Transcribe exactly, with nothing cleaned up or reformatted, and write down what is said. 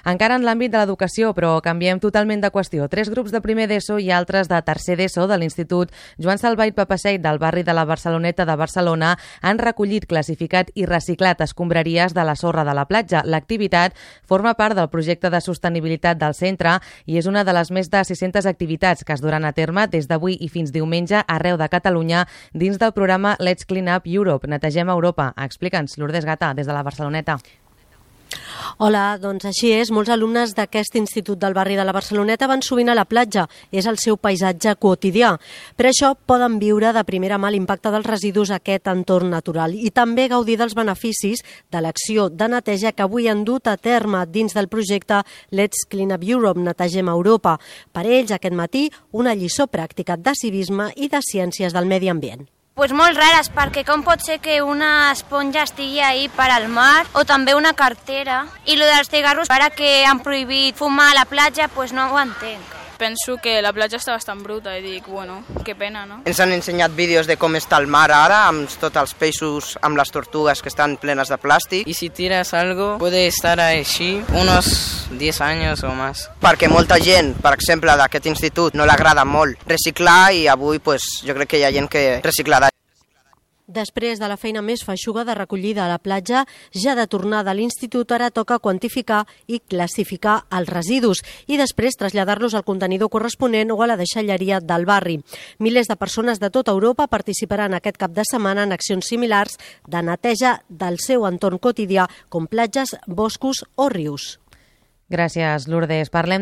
Encara en l'àmbit de l'educació, però canviem totalment de qüestió. Tres grups de primer d'ESO i altres de tercer d'ESO de l'Institut Joan Salvà i Papaseit del barri de la Barceloneta de Barcelona han recollit, classificat i reciclat escombraries de la sorra de la platja. L'activitat forma part del projecte de sostenibilitat del centre i és una de les més de sis-centes activitats que es duran a terme des d'avui i fins diumenge arreu de Catalunya dins del programa Let's Clean Up Europe, Netegem Europa. Explica'ns, Lourdes Gata, des de la Barceloneta. Hola, doncs així és. Molts alumnes d'aquest institut del barri de la Barceloneta van sovint a la platja. És el seu paisatge quotidià. Per això poden viure de primera mà l'impacte dels residus a aquest entorn natural i també gaudir dels beneficis de l'acció de neteja que avui han dut a terme dins del projecte Let's Clean Up Europe, Netegem Europa. Per ells, aquest matí, una lliçó pràctica de civisme i de ciències del medi ambient. Pues molt rares, perquè com pot ser que una esponja estigui ahí per al mar o també una cartera? I lo dels cigarros, ara que han prohibit fumar a la platja, pues no ho entenc. Penso que la platja està bastant bruta i dic, bueno, que pena, no? Ens han ensenyat vídeos de com està el mar ara, amb tots els peixos, amb les tortugues que estan plenes de plàstic. Y si tiras algo, puede estar així unos diez años o más. Perquè molta gent, per exemple, d'aquest institut no l'agrada molt reciclar i avui pues, jo crec que hi ha gent que reciclarà. Després de la feina més feixuga de recollida a la platja, ja de tornada a l'institut ara toca quantificar i classificar els residus i després traslladar-los al contenidor corresponent o a la deixalleria del barri. Milers de persones de tota Europa participaran aquest cap de setmana en accions similars de neteja del seu entorn quotidià, com platges, boscos o rius. Gràcies, Lourdes. Parlem de